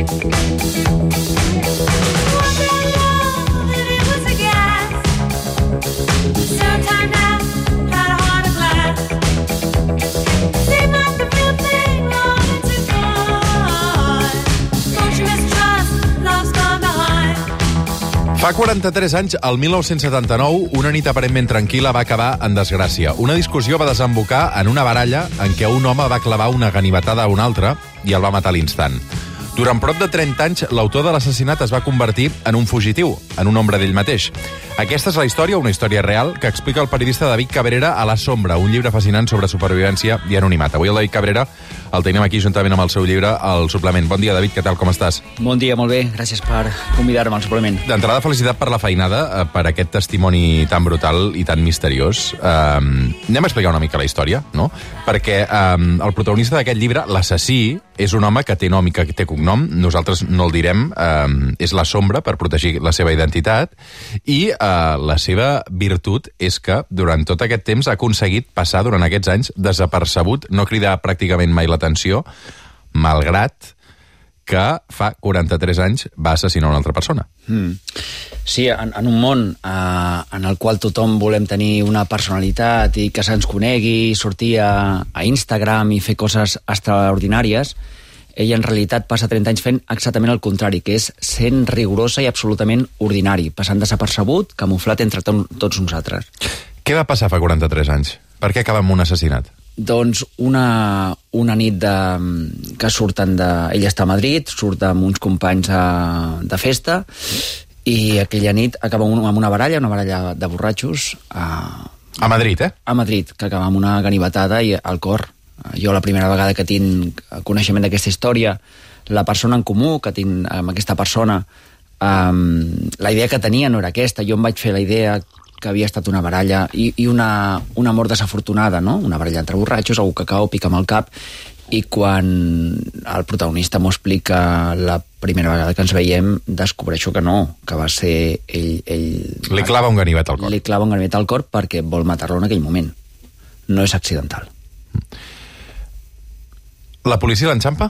Fa 43 anys, el 1979, una nit aparentment tranquil·la va acabar en desgràcia. Una discussió va desembocar en una baralla en què un home va clavar una ganivetada a un altre i el va matar a l'instant. Durant prop de 30 anys, l'autor de l'assassinat es va convertir en un fugitiu, en un ombra d'ell mateix. Aquesta és la història, una història real, que explica el periodista David Cabrera a La Sombra, un llibre fascinant sobre supervivència i anonimat. Avui el David Cabrera el tenim aquí juntament amb el seu llibre, El suplement. Bon dia, David, què tal, com estàs? Bon dia, molt bé, gràcies per convidar-me al suplement. D'entrada, felicitat per la feinada, per aquest testimoni tan brutal i tan misteriós. Anem a explicar una mica la història, no? Perquè el protagonista d'aquest llibre, l'assassí, és un home que té nom i que té cognom, nosaltres no el direm, és La Sombra, per protegir la seva identitat, i la seva virtut és que durant tot aquest temps ha aconseguit passar durant aquests anys desapercebut, no cridar pràcticament mai l'atenció, malgrat que fa 43 anys va assassinar una altra persona. Sí, en un món en el qual tothom volem tenir una personalitat i que se'ns conegui, sortir a Instagram i fer coses extraordinàries, ell en realitat passa 30 anys fent exactament el contrari, que és sent rigorosa i absolutament ordinari, passant desapercebut, camuflat entre tots nosaltres. Què va passar fa 43 anys? Per què acaba amb un assassinat? Doncs una nit que surten de... Ell està a Madrid, surt amb uns companys de festa, i aquella nit acaba amb una baralla de borratxos. A Madrid, eh? A Madrid, que acaba amb una ganivetada i al cor. Jo la primera vegada que tinc coneixement d'aquesta història, la persona en comú que tinc amb aquesta persona, la idea que tenia no era aquesta. Jo em vaig fer la idea que havia estat una baralla i una mort desafortunada, no? Una baralla entre borratxos, algú que cau, pica amb el cap, i quan el protagonista m'ho explica la primera vegada que ens veiem, descobreixo que no, que va ser ell... Li clava un ganivet al cor. Li clava un ganivet al cor perquè vol matar-lo en aquell moment. No és accidental. La policia l'enxampa?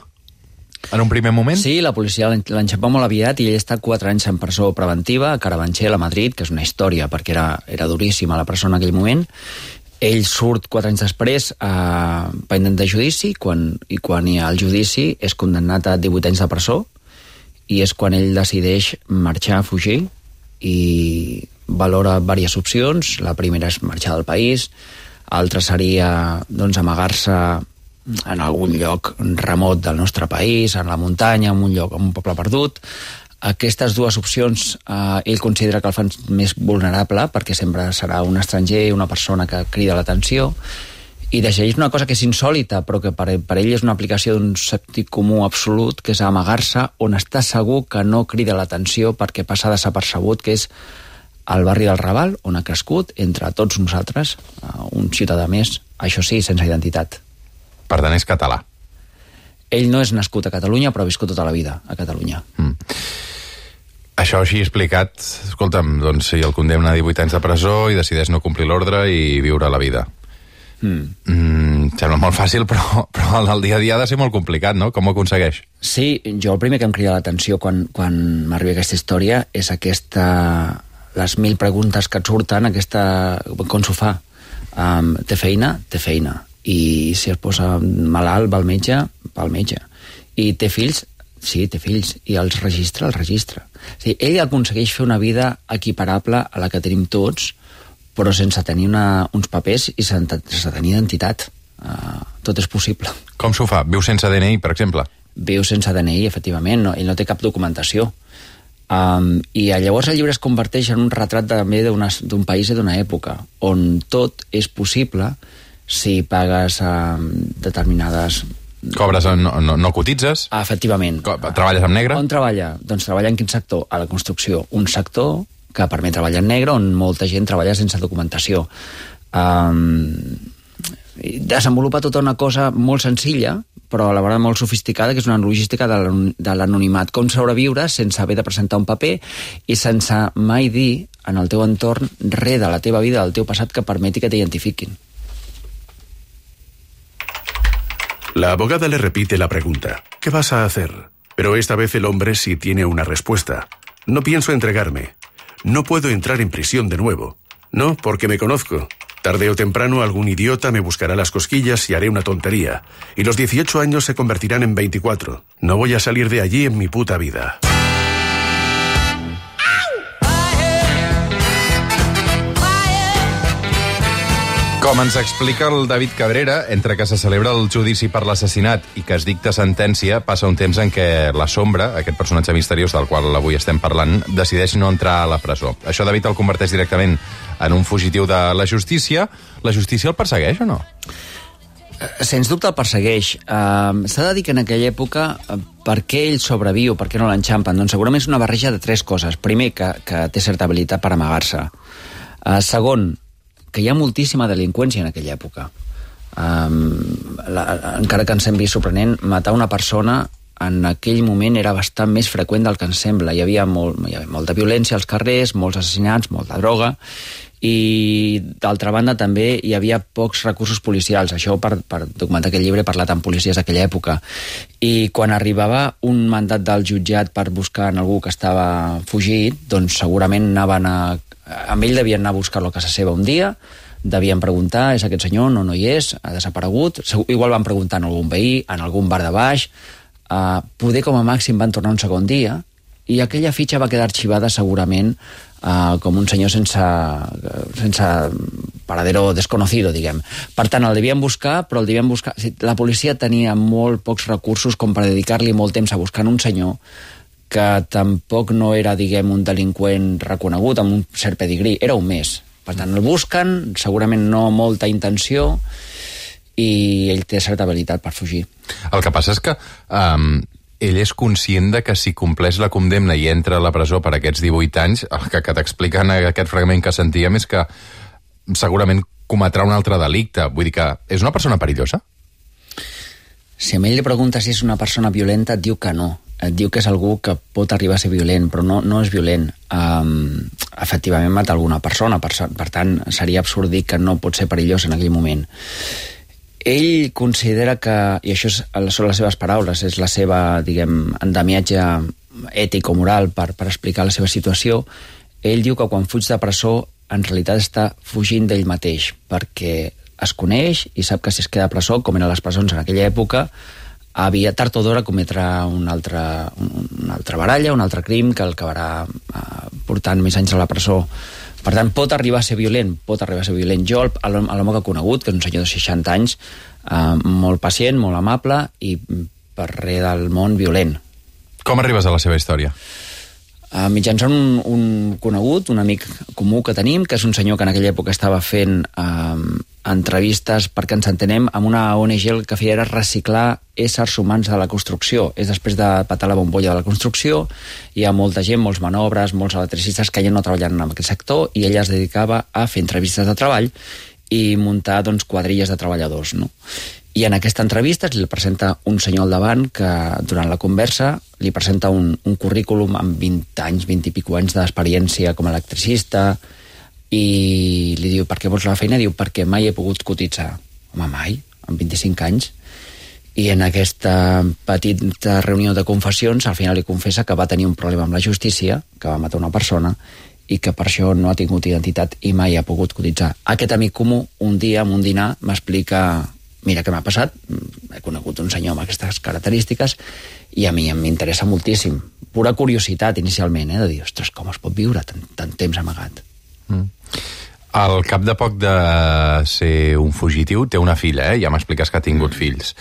En un primer moment? Sí, la policia l'enxampa molt aviat i ell està 4 anys en presó preventiva a Carabanchel, a Madrid, que és una història perquè era duríssima la persona en aquell moment. Ell surt 4 anys després pendent de judici i quan hi ha el judici és condemnat a 18 anys de presó i és quan ell decideix marxar, fugir, i valora diverses opcions. La primera és marxar del país, l'altra seria doncs, amagar-se en algun lloc remot del nostre país, en la muntanya, en un poble perdut. Aquestes dues opcions ell considera que el fan més vulnerable perquè sempre serà un estranger, una persona que crida l'atenció, i decideix una cosa que és insòlita però que per ell és una aplicació d'un sentit comú absolut, que és amagar-se on està segur que no crida l'atenció perquè passa desapercebut, que és al barri del Raval, on ha crescut entre tots nosaltres, un ciutadà més, això sí, sense identitat. Per tant, és català. Ell no és nascut a Catalunya, però ha viscut tota la vida a Catalunya. Això així explicat, escolta'm, doncs si el condemna a 18 anys de presó i decideix no complir l'ordre i viure la vida. Sembla molt fàcil, però el dia a dia ha de ser molt complicat, no? Com ho aconsegueix? Sí, jo el primer que em crida l'atenció quan m'arriba aquesta història és les 1000 preguntes que et surten, com s'ho fa? Té feina? Té feina. I si es posa malalt, va al metge. I té fills? Sí, té fills. I els registra? Els registra. O sigui, ell aconsegueix fer una vida equiparable a la que tenim tots, però sense tenir uns papers i sense tenir identitat. Tot és possible. Com s'ho fa? Viu sense DNI, per exemple? Viu sense DNI, efectivament. No? Ell no té cap documentació. I llavors el llibre es converteix en un retrat també d'un país i d'una època, on tot és possible si pagues determinades... Cobres, no cotitzes? Efectivament. Treballes en negre? On treballa? Doncs treballa en quin sector? A la construcció. Un sector que permet treballar en negre, on molta gent treballa sense documentació. Desenvolupa tota una cosa molt senzilla, però a la vegada molt sofisticada, que és una logística de l'anonimat. Com sobreviure sense haver de presentar un paper i sense mai dir en el teu entorn res de la teva vida, del teu passat, que permeti que t'identifiquin. La abogada le repite la pregunta. ¿Qué vas a hacer? Pero esta vez el hombre sí tiene una respuesta. No pienso entregarme. No puedo entrar en prisión de nuevo. No, porque me conozco. Tarde o temprano algún idiota me buscará las cosquillas y haré una tontería. Y los 18 años se convertirán en 24. No voy a salir de allí en mi puta vida. Com ens explica el David Cabrera, entre que se celebra el judici per l'assassinat i que es dicta sentència, passa un temps en què la Sombra, aquest personatge misteriós del qual avui estem parlant, decideix no entrar a la presó. Això David el converteix directament en un fugitiu de la justícia. La justícia el persegueix o no? Sens dubte el persegueix. S'ha de dir que en aquella època per què ell sobreviu, per què no l'enxampen? Doncs segurament és una barreja de tres coses. Primer, que té certa habilitat per amagar-se. Segon, que hi ha moltíssima delinqüència en aquella època. Encara que ens sembli sorprenent, matar una persona en aquell moment era bastant més freqüent del que ens sembla. Hi havia molta violència als carrers, molts assassinats, molta droga, i d'altra banda també hi havia pocs recursos policials. Això per documentar aquest llibre he parlat amb policies d'aquella època. I quan arribava un mandat del jutjat per buscar en algú que estava fugit, doncs segurament amb ell devien anar a buscar-lo a casa seva un dia, devien preguntar, és aquest senyor? No hi és, ha desaparegut. Igual van preguntar en algun veí, en algun bar de baix. Poder com a màxim van tornar un segon dia i aquella fitxa va quedar arxivada segurament com un senyor sense paradero desconocido, diguem. Per tant, el devien buscar, però el devien buscar... La policia tenia molt pocs recursos com per dedicar-li molt temps a buscar un senyor que tampoc no era, diguem, un delinqüent reconegut amb un cert pedigrí, era un més. Per tant, el busquen, segurament no molta intenció, i ell té certa habilitat per fugir. El que passa és que ell és conscient de que si compleix la condemna i entra a la presó per aquests 18 anys, el que t'explica en aquest fragment que sentíem és que segurament cometrà un altre delicte. Vull dir que és una persona perillosa? Si a ell li pregunta si és una persona violenta, et diu que no. Et diu que és algú que pot arribar a ser violent, però no és violent. Efectivament mata alguna persona, per tant seria absurd dir que no pot ser perillós en aquell moment. Ell considera que, i això són les seves paraules, és la seva, diguem, endemiatge ètic o moral per explicar la seva situació, ell diu que quan fuig de presó en realitat està fugint d'ell mateix, perquè es coneix i sap que si es queda a presó, com eren les presons en aquella època, havia tard o d'hora cometrà una altra baralla, un altre crim que el acabarà portant més anys a la presó. Per tant, pot arribar a ser violent, Jo, a l'home que he conegut, que és un senyor de 60 anys, molt pacient, molt amable i per res del món violent. Com arribes a la seva història? Mitjançant un conegut, un amic comú que tenim, que és un senyor que en aquella època estava fent entrevistes, perquè ens entenem, amb una ONG el que feia era reciclar éssers humans de la construcció. És després de patar la bombolla de la construcció, hi ha molta gent, molts manobres, molts electricistes que ja no treballen en aquest sector, i ella es dedicava a fer entrevistes de treball i muntar, doncs, quadrilles de treballadors, no? I en aquesta entrevista li presenta un senyor al davant que durant la conversa li presenta un currículum amb 20 anys, 20 i pico anys d'experiència com a electricista, i li diu, per què vols la feina? Diu, perquè mai he pogut cotitzar. Home, mai? Amb 25 anys? I en aquesta petita reunió de confessions al final li confessa que va tenir un problema amb la justícia, que va matar una persona, i que per això no ha tingut identitat i mai ha pogut cotitzar. Aquest amic comú, un dia, en un dinar, m'explica: mira què m'ha passat, he conegut un senyor amb aquestes característiques i a mi m'interessa moltíssim. Pura curiositat inicialment, de dir, ostres, com es pot viure tant temps amagat? Al cap de poc de ser un fugitiu, té una filla, ja m'expliques que ha tingut fills.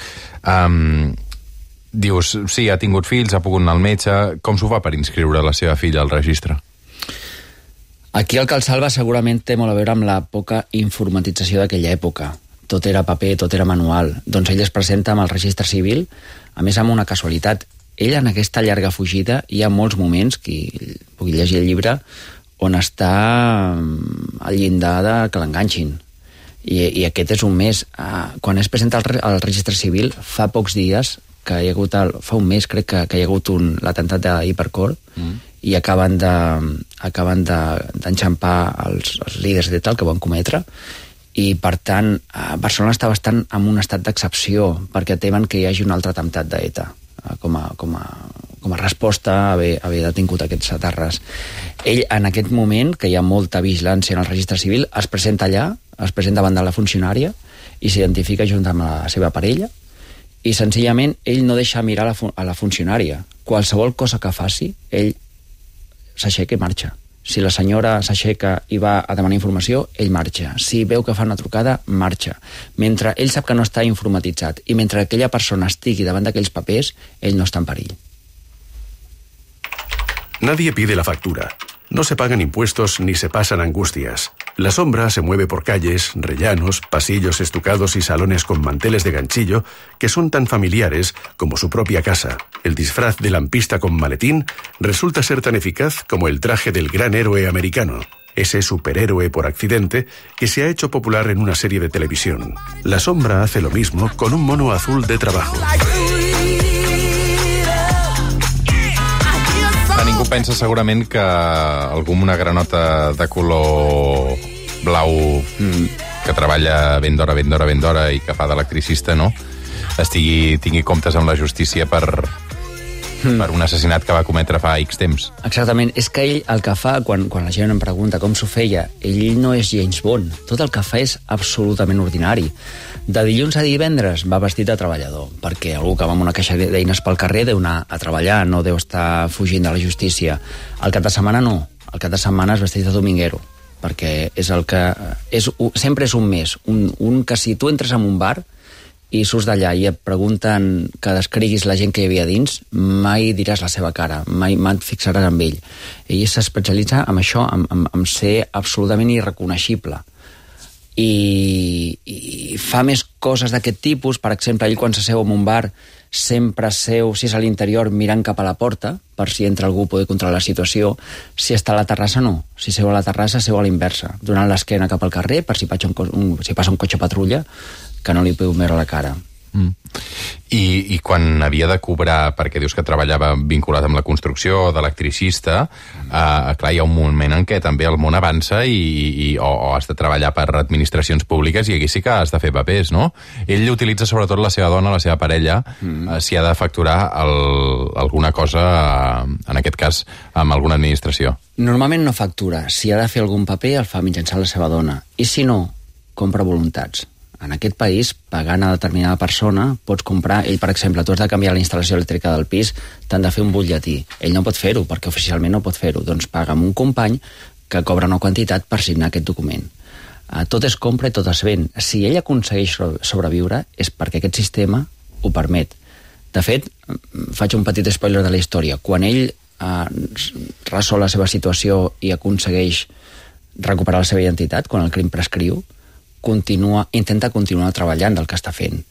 Dius, sí, ha tingut fills, ha pogut anar al metge. Com s'ho fa per inscriure la seva filla al registre? Aquí el que el salva segurament té molt a veure amb la poca informatització d'aquella època. Tot era paper, tot era manual. Doncs ell es presenta amb el registre civil, a més amb una casualitat. Ell en aquesta llarga fugida hi ha molts moments, qui pugui llegir el llibre, on està al llindar de que l'enganxin. I aquest és un mes. Quan es presenta al registre civil, fa pocs dies, que hi ha hagut fa un mes crec que hi ha hagut l'atemptat d'Hipercor, i acaben d'enxampar els líders d'ETA que van cometre, i per tant Barcelona està bastant en un estat d'excepció perquè temen que hi hagi un altre atemptat d'ETA com a a resposta a haver detingut aquests etarres. Ell, en aquest moment, que hi ha molta vigilància en el registre civil, es presenta allà, es presenta davant de la funcionària i s'identifica junt amb la seva parella, i senzillament ell no deixa mirar a la funcionària. Qualsevol cosa que faci, ell s'aixeca i marxa. Si la senyora s'aixeca i va a demanar informació, ell marxa. Si veu que fa una trucada, marxa. Mentre ell sap que no està informatitzat i mentre aquella persona estigui davant d'aquells papers, ell no està en perill. Nadie pide la factura. No se pagan impuestos ni se pasan angustias. La sombra se mueve por calles, rellanos, pasillos estucados y salones con manteles de ganchillo que son tan familiares como su propia casa. El disfraz de lampista con maletín resulta ser tan eficaz como el traje del gran héroe americano, ese superhéroe por accidente que se ha hecho popular en una serie de televisión. La sombra hace lo mismo con un mono azul de trabajo. Ningú pensa segurament que algú amb una granota de color blau que treballa ben d'hora i que fa d'electricista, no? tingui comptes amb la justícia per un assassinat que va cometre fa X temps. Exactament. És que ell el que fa, quan la gent em pregunta com s'ho feia, ell no és James Bond. Tot el que fa és absolutament ordinari. De dilluns a divendres va vestit de treballador, perquè algú que va amb una caixa d'eines pel carrer deu anar a treballar, no deu estar fugint de la justícia. El cap de setmana no. El cap de setmana és vestit de dominguero, perquè és el que... sempre és un més. Un que si tu entres en un bar i surts d'allà i et pregunten que descriguis la gent que hi havia dins, mai diràs la seva cara, mai et fixaràs amb ell. Ell s'especialitza en això, en ser absolutament irreconeixible. I fa més coses d'aquest tipus. Per exemple, ell quan s'asseu en un bar sempre seu, si és a l'interior, mirant cap a la porta, per si entra algú poder controlar la situació. Si està a la terrassa, no. Si seu a la terrassa, seu a l'inversa, donant l'esquena cap al carrer per si passa un cotxe patrulla, que no li podeu veure la cara. I quan havia de cobrar, perquè dius que treballava vinculat amb la construcció, d'electricista, clar, hi ha un moment en què també el món avança o has de treballar per administracions públiques i aquí sí que has de fer papers, no? Ell utilitza sobretot la seva dona, la seva parella, si ha de facturar alguna cosa, en aquest cas, amb alguna administració. Normalment no factura. Si ha de fer algun paper, el fa mitjançant la seva dona. I si no, compra voluntats. En aquest país, pagant a determinada persona, pots comprar... Ell, per exemple, tu has de canviar la instal·lació elèctrica del pis, t'han de fer un butlletí. Ell no pot fer-ho, perquè oficialment no pot fer-ho. Doncs paga amb un company que cobra una quantitat per signar aquest document. Tot es compra i tot es ven. Si ell aconsegueix sobreviure, és perquè aquest sistema ho permet. De fet, faig un petit spoiler de la història. Quan ell resol la seva situació i aconsegueix recuperar la seva identitat, quan el crim prescriu, intenta continuar treballant del que està fent.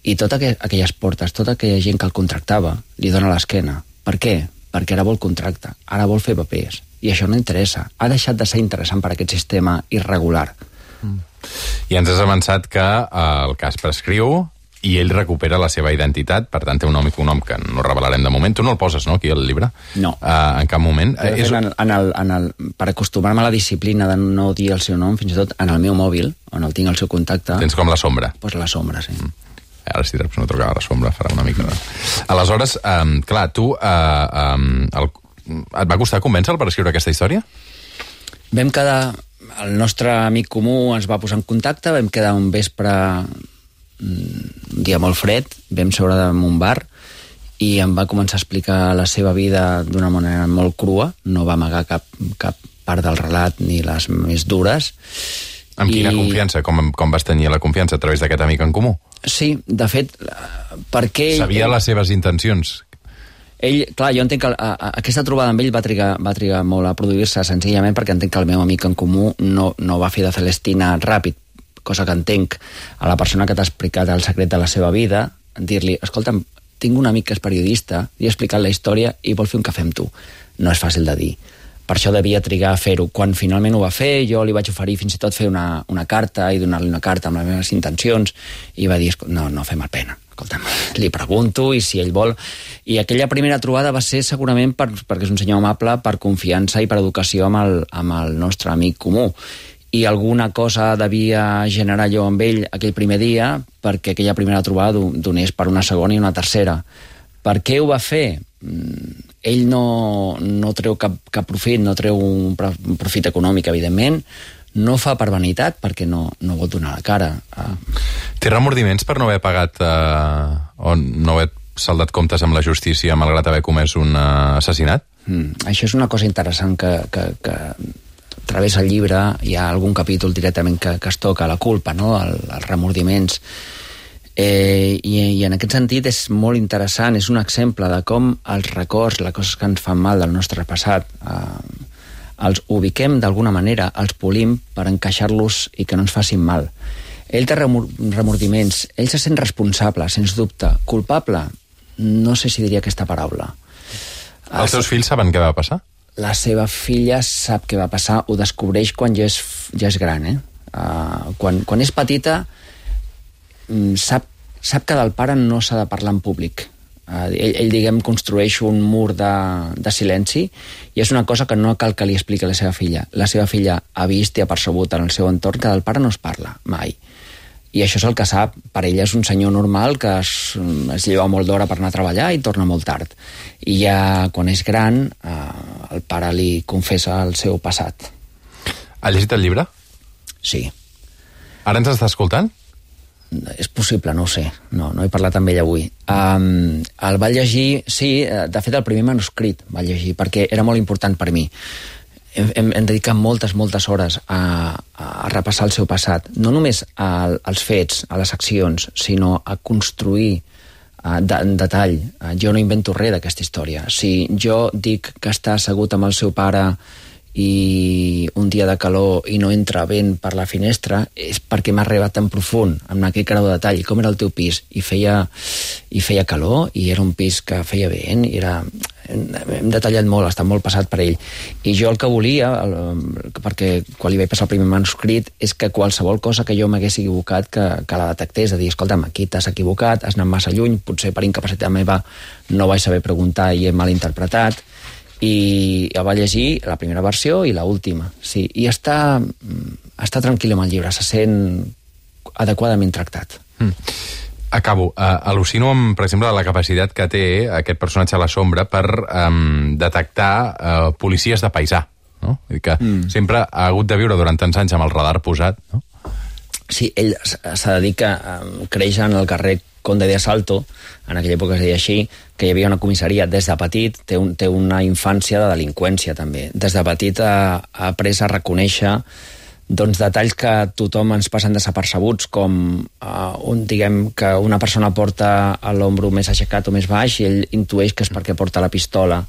I totes aquelles portes, tota aquella gent que el contractava, li dona l'esquena. Per què? Perquè ara vol contracte, ara vol fer papers. I això no interessa. Ha deixat de ser interessant per aquest sistema irregular. I ens has avançat que el cas prescriu i ell recupera la seva identitat, per tant té un nom i cognom que no revelarem de moment. Tu no el poses, no, aquí al llibre? No. En cap moment. Per acostumar-me a la disciplina de no dir el seu nom, fins i tot en el meu mòbil, on el tinc al seu contacte... Tens com la sombra. Pues la sombra, sí. Ara si no trucava la sombra farà una mica... Aleshores, clar, tu... Et va costar convèncer-lo per escriure aquesta història? Vam quedar... El nostre amic comú ens va posar en contacte, vam quedar un vespre... un dia molt fred, vam seure en un bar i em va començar a explicar la seva vida d'una manera molt crua, no va amagar cap part del relat ni les més dures. Amb quina confiança? Com vas tenir la confiança? A través d'aquest amic en comú? Sí, de fet, perquè... Sabia les seves intencions? Ell, clar, jo entenc que aquesta trobada amb ell va trigar molt a produir-se, senzillament perquè entenc que el meu amic en comú no va fer de Celestina ràpid, cosa que entenc a la persona que t'ha explicat el secret de la seva vida, dir-li, escolta'm, tinc un amic que és periodista, li he explicat la història i vol fer un cafè amb tu. No és fàcil de dir. Per això devia trigar a fer-ho. Quan finalment ho va fer, jo li vaig oferir fins i tot fer una carta i donar-li una carta amb les meves intencions i va dir, no fem el pena. Escolta'm, li pregunto i si ell vol... I aquella primera trobada va ser segurament perquè és un senyor amable, per confiança i per educació amb el nostre amic comú. I alguna cosa devia generar jo amb ell aquell primer dia perquè aquella primera trobada donés per una segona i una tercera. Per què ho va fer? ell no treu cap profit, no treu un profit econòmic, evidentment, no fa per vanitat perquè no vol donar la cara. Té remordiments per no haver pagat o no haver saldat comptes amb la justícia malgrat haver comès un assassinat? Això és una cosa interessant que travessa el llibre. Hi ha algun capítol directament que es toca la culpa, no? Els remordiments. I en aquest sentit és molt interessant, és un exemple de com els records, les coses que ens fan mal del nostre passat, els ubiquem d'alguna manera, els polim per encaixar-los i que no ens facin mal. Ell té remordiments, ell se sent responsable, sens dubte. Culpable? No sé si diria aquesta paraula. Els seus fills saben què va passar? La seva filla sap què va passar, ho descobreix quan ja és gran. Quan és petita, sap que del pare no s'ha de parlar en públic. Ell diguem, construeix un mur de silenci i és una cosa que no cal que li expliqui a la seva filla. La seva filla ha vist i ha percebut en el seu entorn que del pare no es parla, mai. I això és el que sap. Per ella és un senyor normal que es lleva molt d'hora per anar a treballar i torna molt tard. I ja quan és gran, el pare li confessa el seu passat. Ha llegit el llibre? Sí. Ara ens està escoltant? És possible, no ho sé. No he parlat amb ell avui. El va llegir, sí, de fet el primer manuscrit va llegir, perquè era molt important per mi. Hem dedicat moltes hores a repassar el seu passat, no només als fets, a les accions, sinó a construir en detall. Jo no invento res d'aquesta història. Si jo dic que està assegut amb el seu pare i un dia de calor i no entra vent per la finestra, és perquè m'ha arribat tan profund, amb aquell grau de detall. Com era el teu pis? I feia calor, i era un pis que feia vent, i hem detallat molt, està molt passat per ell. I jo el que volia, perquè quan li vaig passar el primer manuscrit, és que qualsevol cosa que jo m'hagués equivocat que la detectés, de dir, escolta'm, aquí t'has equivocat, has anat massa lluny, potser per incapacitat meva no vaig saber preguntar i he malinterpretat. I va llegir la primera versió i l'última, sí, i està tranquil amb el llibre, se sent adequadament tractat. Acabo. Al·lucino amb, per exemple, la capacitat que té aquest personatge a la sombra per detectar policies de paisà, no? Que sempre ha hagut de viure durant tants anys amb el radar posat, no? Sí, ell se dedica, creix en el carrer Conde de Asalto, en aquella època es deia així, que hi havia una comissaria. Des de petit té una infància de delinqüència, també. Des de petit ha après a reconèixer detalls que tothom ens passen desapercebuts, com diguem que una persona porta l'ombro més aixecat o més baix i ell intueix que és perquè porta la pistola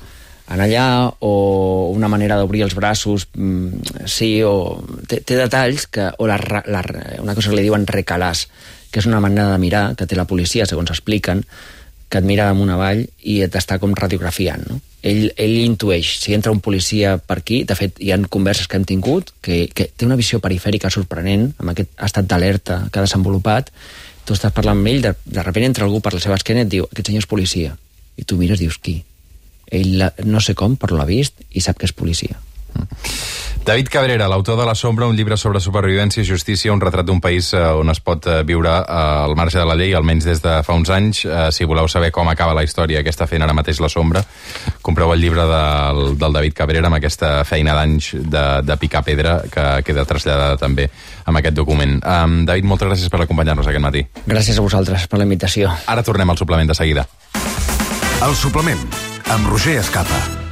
en allà, o una manera d'obrir els braços, sí, o té detalls o una cosa que li diuen recalàs, que és una manera de mirar que té la policia, segons expliquen, que et mira damunt avall i t'està com radiografiant, no? Ell intueix, si entra un policia per aquí, de fet hi ha converses que hem tingut, que té una visió perifèrica sorprenent, amb aquest estat d'alerta que ha desenvolupat. Tu estàs parlant amb ell, de repente entra algú per la seva esquena i et diu, aquest senyor és policia, i tu mires i dius, qui? Ell no sé com, però l'ha vist i sap que és policia. David Cabrera, l'autor de La sombra, un llibre sobre supervivència i justícia, un retrat d'un país on es pot viure al marge de la llei, almenys des de fa uns anys. Si voleu saber com acaba la història que està fent ara mateix La sombra, compreu el llibre del David Cabrera amb aquesta feina d'anys de picar pedra que queda traslladada també amb aquest document. David, moltes gràcies per acompanyar-nos aquest matí. Gràcies a vosaltres per la invitació. Ara tornem al suplement de seguida. El suplement, amb Roger Escapa.